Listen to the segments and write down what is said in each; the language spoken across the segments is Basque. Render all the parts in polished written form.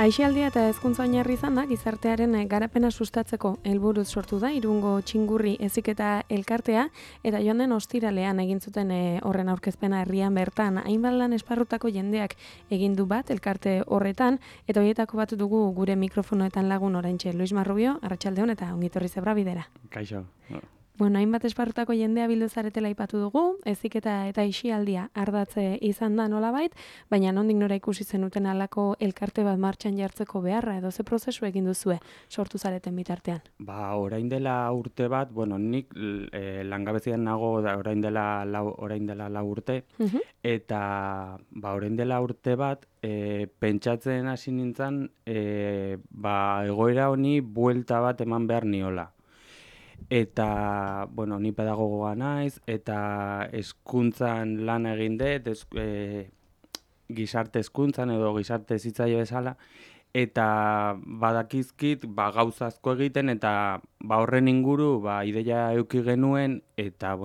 Aisialdia eta hezkuntza oinarri izan da gizartearen garapena sustatzeko helburuz sortu da Irungo Txingurri heziketa elkartea eta joan den ostiralean egin zuten horren aurkezpena herrian bertan hainbat lan esparrutako jendeak egin du bat elkarte horretan eta horietako bat dugu gure mikrofonoetan lagun oraintxe Luis Marrubio, arratsalde on eta ongi etorri Zebra Bidera. Kaixo. Bueno, hainbat esparrutako jendea bildu zaretela aipatu dugu, heziketa eta aisialdia ardatze izan da nolabait, baina nondik nora ikusi zenuten halako elkarte bat martxan jartzeko beharra edo ze prozesu egin duzue sortu zareten bitartean? Orain dela urte bat, nik langabezian nago orain dela lau urte, eta orain dela urte bat, pentsatzen hasi nintzen, egoera honi buelta bat eman behar niola. Eta, ni pedagogoa naiz, eta hezkuntzan lan egin dut, gizarte hezkuntzan edo gizarte hezitzaile bezala, eta badakizkit gauza asko egiten, eta horren inguru ideia eduki genuen, eta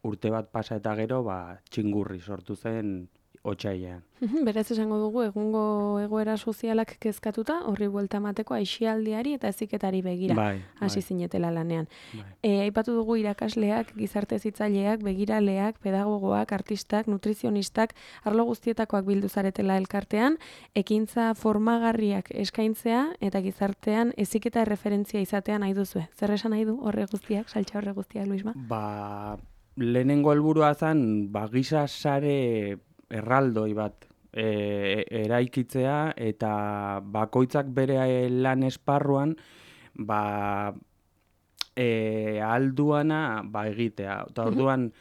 urte bat pasa eta gero Txingurri sortu zen otsailean. Berez esango dugu egungo egoera sozialak kezkatuta horri buelta emateko aisialdiari eta heziketari begira hasi zinetela lanean. Aipatu dugu irakasleak, gizarte hezitzaileak, begiraleak, pedagogoak, artistak, nutrizionistak, arlo guztietakoak bildu zaretela elkartean, ekintza formagarriak eskaintzea eta gizartean heziketa referentzia izatea nahi duzue. Zer esan nahi du horre guztiak, saltza horre guztiak, Luisma? Lehenengo helburua zen giza sare erraldoi bat eraikitzea eta bakoitzak bere lan esparruan alduana egitea. Eta orduan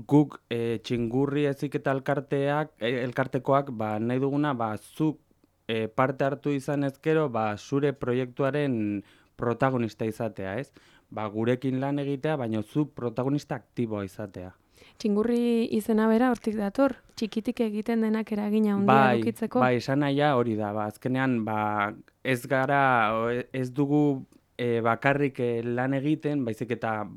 guk Txingurri heziketa elkartekoak nahi duguna zuk parte hartu izan ezkero zure proiektuaren protagonista izatea, ez? Gurekin lan egitea, baina zu protagonista aktiboa izatea. Txingurri izena bera hortik dator, txikitik egiten denak eragina handia edukitzeko. Esan nahia hori da. Azkenean, ez dugu bakarrik lan egiten, baizik eta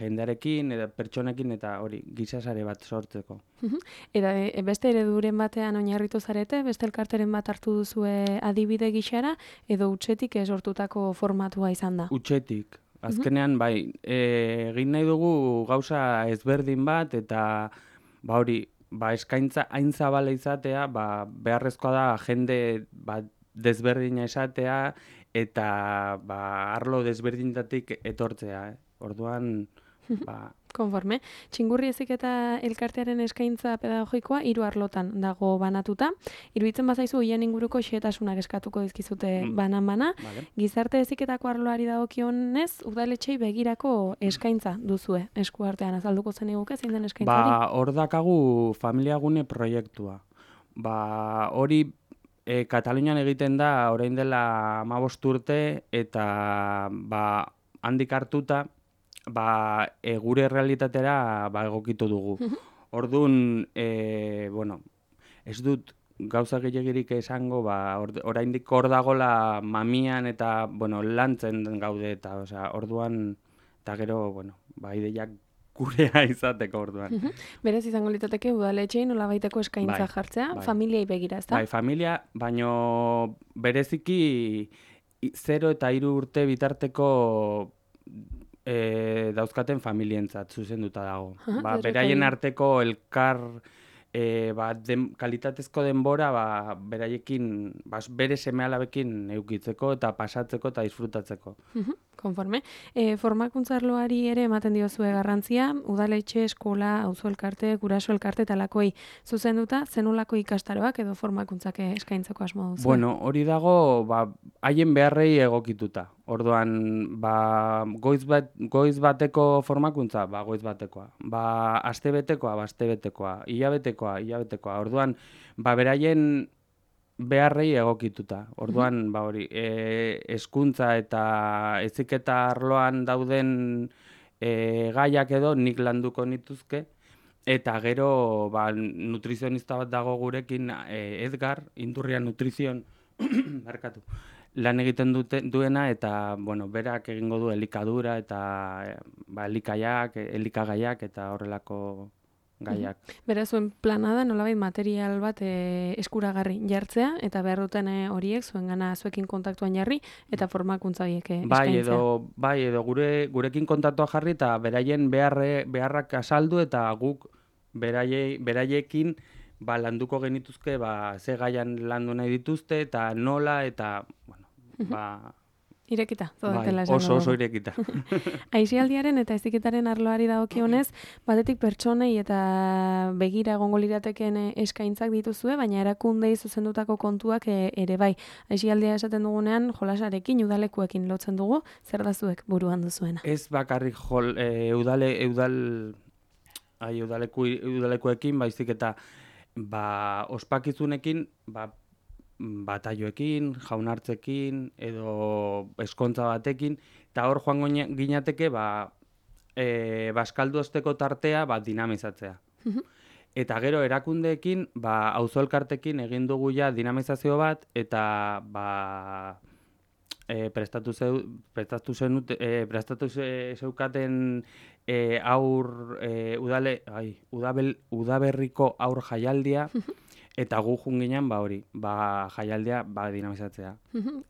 jendearekin, pertsonekin eta hori gizasare bat sortzeko. Eta beste ereduren batean oinarritu zarete, beste elkarteren bat hartu duzue adibide gixara, edo hutsetik sortutako formatua izan da? Hutsetik. Azkenean, egin nahi dugu gauza ezberdin bat, eta eskaintza hain zabala izatea, beharrezkoa da jende desberdina izatea, eta arlo desberdinetatik etortzea. Orduan, Konforme. Txingurri heziketa elkartearen eskaintza pedagogikoa 3 arlotan dago banatuta. Iruditzen bazaizu hien inguruko xehetasunak eskatuko dizkizute banan-bana. Gizarte heziketako arloari dagokionez, udaletxei begirako eskaintza duzue eskuartean azalduko zeniguke zein den eskaintza hori? Hor dakagu familiagune proiektua. Hori Katalunian egiten da orain dela 15 urte eta handik hartuta gure realitatera egokitu dugu. Orduan, ez dut gauza gehiagirik esango, oraindik hor dagola mamian eta lantzen gaude eta orduan, eta gero, ideiak gurea izateko orduan. Berez izango litateke udaletxein nolabaiteko eskaintza jartzea, familiai begira, ezta? Familia, baino bereziki 0 eta 3 urte bitarteko dauzkaten familientzat zuzenduta dago. Beraien arteko elkar kalitatezko denbora beraiekin, bere seme-alabekin eukitzeko eta pasatzeko eta disfrutatzeko. Konforme. Formakuntza arloari ere ematen diozue garrantzia, udaletxe, eskola, auzo elkarte, guraso elkarte eta lakoei zuzenduta, zenolako ikastaroak edo formakuntzak eskaintzeko asmo duzu? Hori dago haien beharrei egokituta. Orduan, goiz bateko formakuntza, goiz batekoa. Astebetekoa, astebetekoa. Hilabetekoa. Orduan, beraien beharrei egokituta. Orduan, hezkuntza eta heziketa arloan dauden gaiak edo nik landuko nituzke. Eta gero, nutrizionista bat dago gurekin, Edgar, Indurrian Nutrizion, lan egiten duena, eta berak egingo du elikadura eta elikagaiak eta horrelako gaiak. Bera zuen plana da nolabait material bat eskuragarri jartzea eta behar duten horiek zuengana zuekin kontaktuan jarri eta formakuntza horiek eskaintzea. Edo gurekin kontaktua jarri eta beraien beharrak azaldu eta guk beraiekin landuko genituzke ze gaian landu nahi dituzte eta nola eta irekita, zodatela esan dugu. Oso irekita. Aisialdiaren eta heziketaren arloari dagokionez, batetik pertsonei eta begira egongo lirateken eskaintzak dituzue, baina erakundei zuzendutako kontuak ere bai. Aisialdia esaten dugunean jolasarekin, udalekuekin lotzen dugu, zer da zuek buruan duzuena? Ez bakarrik udalekuekin, baizik eta ospakizunekin, bataioekin, jaunartzekin, edo eskontza batekin, eta hor joango ginateke baskaldu osteko tartea dinamizatzea. Eta gero erakundeekin, auzo elkartekin egin dugu ja dinamizazio bat, eta prestatu zeukaten udaberriko aur jaialdia, eta gu junginan jaialdia dinamizatzea.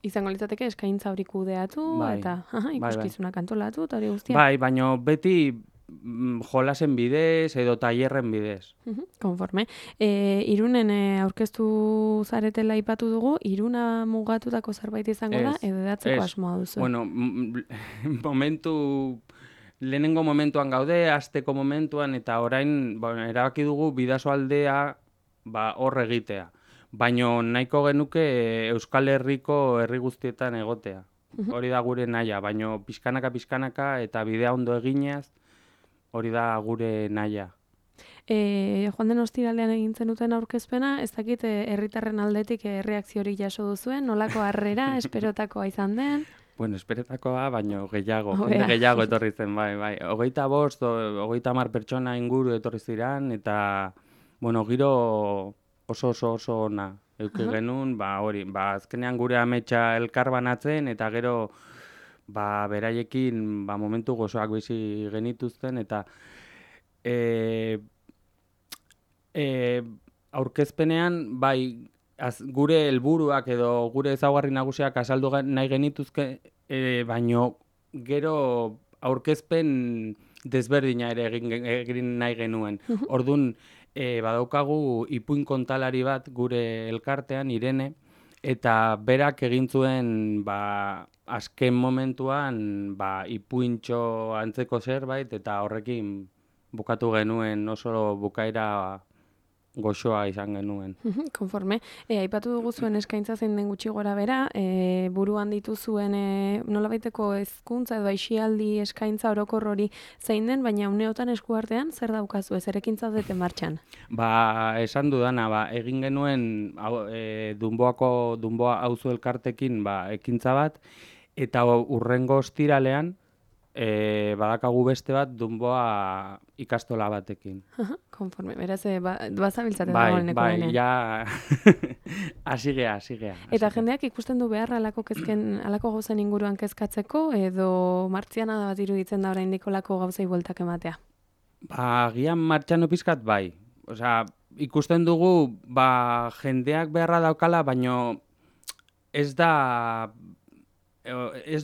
Izango litzateke eskaintza hori kudeatu eta ikuskizunak antolatu eta hori guztia. Bai, baina beti jolasen bidez edo tailerren bidez. Konforme. Irunen aurkeztu zaretela aipatu dugu, Iruna mugatutako zerbait izango da edo edatzeko asmoa duzu? Bueno, lehenengo momentuan gaude, hasteko momentuan, eta orain erabaki dugu Bidasoaldea hor egitea. Baina nahiko genuke Euskal Herriko herri guztietan egotea. Hori da gure nahia, baina pixkanaka eta bidea ondo eginez, hori da gure nahia. Joan den ostiralean egin zenuten aurkezpena, ez dakit herritarren aldetik erreakziorik jaso duzuen, nolako harrera, esperotakoa izan den? Bueno, esperotakoa, baina gehiago etorri zen, bai. 30 pertsona inguru etorri ziren, eta giro oso ona eduki genuen, azkenean gure ametsa elkar banatzen, eta gero beraiekin momentu gozoak bizi genituzten, eta aurkezpenean, gure helburuak edo gure ezaugarri nagusiak azaldu nahi genituzke, baino gero aurkezpen desberdina ere egin nahi genuen. Orduan, badaukagu ipuin kontalari bat gure elkartean, Irene, eta berak egin zuen azken momentuan ipuintxo antzeko zerbait, eta horrekin bukatu genuen oso bukaera goxoa izan genuen. Konforme. Aipatu dugu zuen eskaintza zein den gutxi gora bera, buruan dituzuen nolabaiteko hezkuntza edo aisialdi eskaintza orokor hori zein den, baina uneotan eskuartean zer daukazu, zer ekintza dute martxan? Esan dudana, egin genuen Dunboa auzo elkartekin ekintza bat, eta urrengo ostiralean badakagu beste bat Dunboa ikastola batekin. Konforme, beraz, bazabiltzate dagoeneko benean. Ja, hasi gea. Eta jendeak ikusten du behar alako gauzen inguruan kezkatzeko, edo martziana da bat iruditzen da oraindik olako gauzei bueltak ematea? Gian martxano pizkat bai. Osea, ikusten dugu, jendeak beharra daukala, baino ez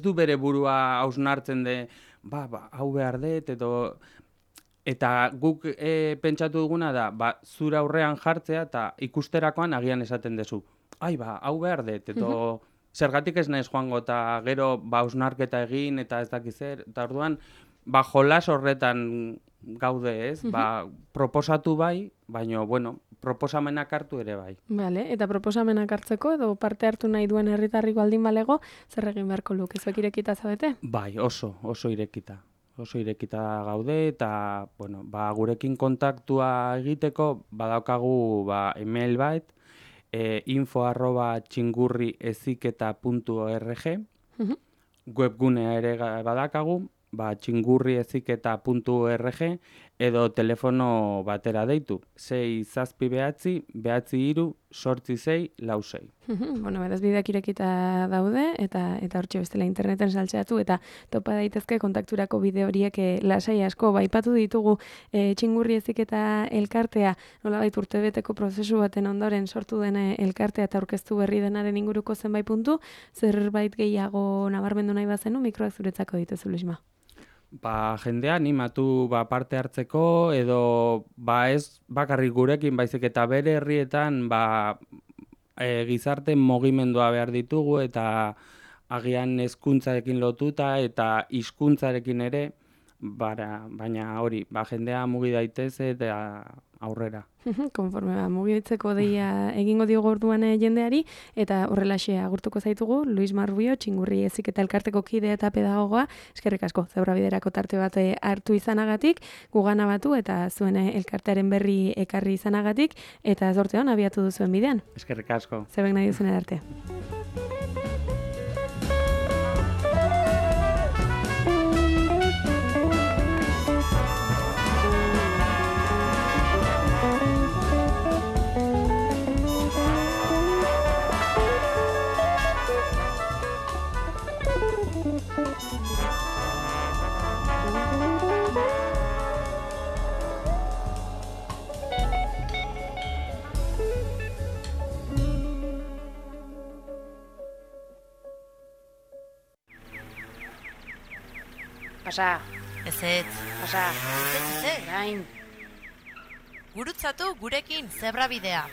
du bere burua hausnartzen de, hau behar dut, eta guk pentsatu duguna da, zure aurrean jartzea, eta ikusterakoan agian esaten dezu. Hau behar dut, edo zergatik ez naiz joango, eta gero hausnarketa egin, eta ez dakiz zer, eta orduan, jolas horretan gaude ez, proposatu bai, baina, proposamenak hartu ere bai. Bale, eta proposamenak hartzeko edo parte hartu nahi duen herritarriko aldin balego, zer egin beharko luke, zuek irekita zabete? Bai, oso irekita. Oso irekita gaude, eta, gurekin kontaktua egiteko, badaukagu email bat, info@txingurrieziketa.org, webgunea ere badakagu, txingurrieziketa.org, edo telefono batera deitu, 6-7-9-8-6-6. Bueno, beraz bideak irekita daude, eta hortxe bestela interneten saltzeatu, eta topa daitezke kontakturako bide horiek lasai asko. Baipatu ditugu Txingurri Heziketa elkartea, nolabait urtebeteko prozesu baten ondoren sortu den elkartea eta aurkeztu berri denaren inguruko zenbait puntu, zerbait gehiago nabarmendu nahi bazenu, mikroak zuretzako dituzu, Luisma. Jendea animatu parte hartzeko, edo ez bakarrik gurekin, baizik eta bere herrietan gizarte mugimendua behar ditugu, eta agian hezkuntzarekin lotuta eta hizkuntzarekin ere, baina hori, jendea mugi daitez eta aurrera. Konforme mugitzeko deia egingo diogu orduan jendeari, eta horrelaxe agurtuko zaitugu, Luisma Rubio, Txingurri Heziketa elkarteko kide eta pedagogoa, eskerrik asko, Zebrabiderako tarte bat hartu izanagatik, gugana batu eta zuen elkartearen berri ekarri izanagatik, eta zorte hon abiatu duzuen bidean. Eskerrik asko. Zebek nahi duzen erarte. Pasa. Ezetz. Pasa. Ezetz. Gain. Gurutzatu gurekin Zebrabidea.